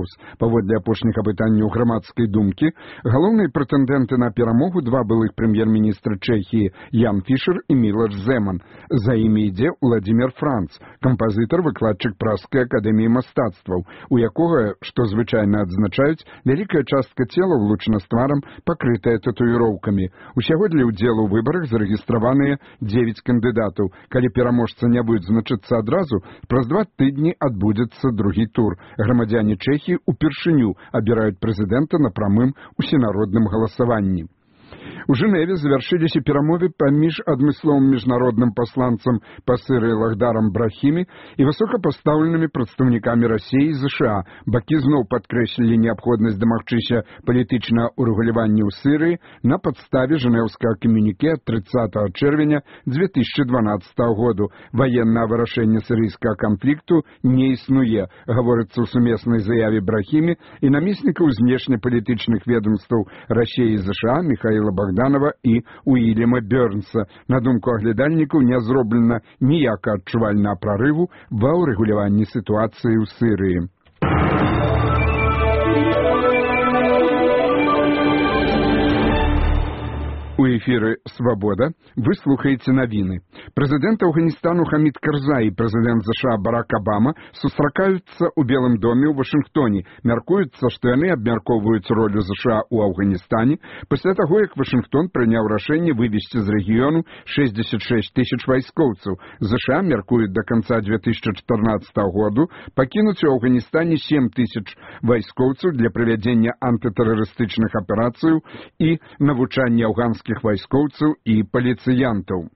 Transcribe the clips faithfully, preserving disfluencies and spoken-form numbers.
Хаус. Паводле апошніх апытанняў грамадскай думкі, галоўныя прэтэндэнты на перамогу два былых прэм'ер-міністра Чэхіі Ян Фішер і Мілош Земан. За імі ідзе Владзімір Франц, кампазітар, выкладчык Пражскай акадэміі мастацтваў, у якога, што звычайна адзначаюць, вялікая частка цела влучана з тварам, пакрытая татуіроўкамі. Усяго для ўдзелу ў выбарах зарэгістраваныя дзевяць кандыдатаў. Калі пераможца не будзе значыцца адразу, праз два тыдні адбудзецца другі тур. Грамадзяне Чэхіі упершыню абіраюць прэзідэнта на прамым усенародным галасаванні. У Жэневе завяршыліся перамовы паміж адмысловым міжнародным пасланцам пасыры Лахдарам Брахімі і высокапастаўленымі прадстаўнікамі Расіі і ЗША. Бакі зноў падкрэслілі неабходнасць дамагчыся палітычнага ўрэгулявання ў Сірыі на падставе жэнеўскага камюніке ад трыццатага чэрвеня дзве тысячы дванаццатага году. Ваеннае вырашэнне сірыйскага канфлікту не існуе, гаворыцца ў сумеснай заяве Брахімі і намеснікаў знешнепалітычных ведомстваў Расіі і ЗША Міхаіла Богданова і Уильяма Бёрнса. На думку аглядальнікаў, не зроблена ніякага адчувальнага прарыву ва ўрэгуляванні сітуацыі ў Сірыі. У эфіры «Свабода» вы слухаеце навіны. Прэзідэнт Афганістану Хамід Карзай і прэзідэнт ЗША Барак Абама сустракаюцца ў Белым доме ў Вашынгтоне. Мяркуецца, што яны абмяркоўваюць ролю ЗША ў Афганістане пасля таго, як Вашынгтон прыняў рашэнне вывесці з рэгіёну шэсцьдзесят шэсць тысяч вайскоўцаў. ЗША мяркуюць да канца дзве тысячы чатырнаццатага году пакінуць у Афганістане сем тысяч вайскоўцаў для правядзення антытэрарыстычных аперацыяў і навучання афганскіх вайскоўцаў і паліцыянтаў.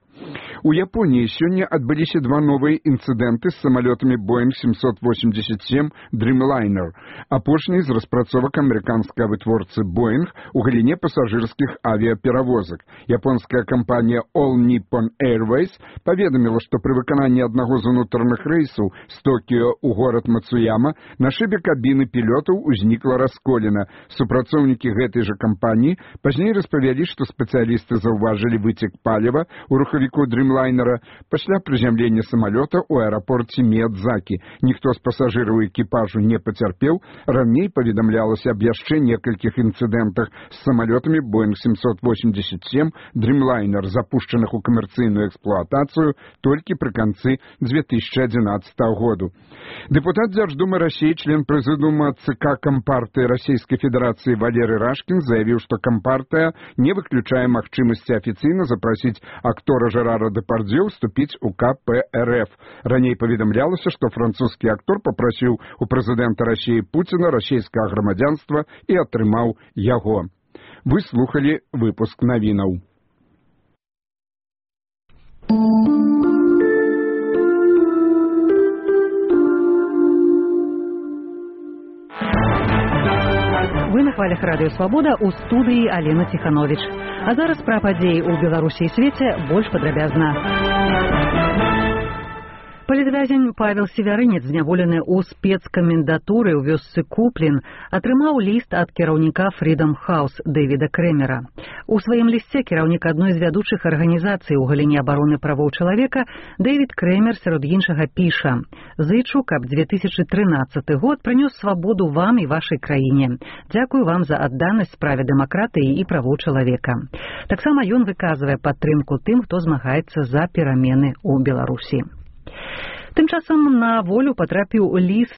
У Японіі сёння адбыліся два новыя інцыдэнты з самалётамі Боинг семьсот восемьдесят семь Dreamliner, апошні з распрацовак амерыканскага вытворцы Boeing у галіне пасажырскіх авіаперавозак. Японская кампанія All Nippon Airways паведаміла, што пры выкананні аднаго з унутраных рэйсаў з Токіо ў горад Мацуяма на шыбе кабіны пілётаў узнікла расколіна. Супрацоўнікі гэтай жа кампаніі пазней распавялі, што спецыялісты заўважылі выцек паліва ў рухавіку Dreamliner пасля прызямлення самалёта ў аэрапорце Міядзакі. Ніхто з пасажыраў экіпажу не пацярпеў. Раней паведамлялася аб яшчэ некалькіх інцыдэнтах з самалётамі Боинг семьсот восемьдесят семь Dreamliner, запушчаных у камерцыйную эксплуатацыю толькі пры канцы дзве тысячы адзінаццатага году. Дэпутат Дзярждумы Расіі, член прэзідыума ЦК Кампартыі Расійскай Федэрацыі Валерый Рашкін заявіў, што Кампартыя не выключае магчымасці афіцыйна запрасіць актора Жерара Депардзё вступіць у ка пэ эр эф. Раней паведамлялася, што французскі актор папрасіў у прэзідэнта Расіі Пуціна расійскага грамадзянства і атрымаў яго. Вы слухалі выпуск навінаў. Вы на хвалях радыё «Свабода» у студыі Алена Ціхановіч. А зараз пра падзеі ў Беларусі і свеце больш падрабязна. Палітвязень Павел Севярынец, зняволены ў спецкамендатуры ў вёсцы Куплін, атрымаў ліст ад кіраўніка Freedom House Дэвіда Крэмера. У сваім лісце кіраўнік адной з вядучых арганізацый у галіне абароны правоў чалавека Дэвід Крэмер сярод іншага піша: «Зычу, каб дзве тысячы трынаццаты год прынёс свабоду вам і вашай краіне. Дзякую вам за адданасць справе дэмакратыі і правоў чалавека». Таксама ён выказвае падтрымку тым, хто змагаецца за перамены ў Беларусі. Тым часам на волю патрапіў ліст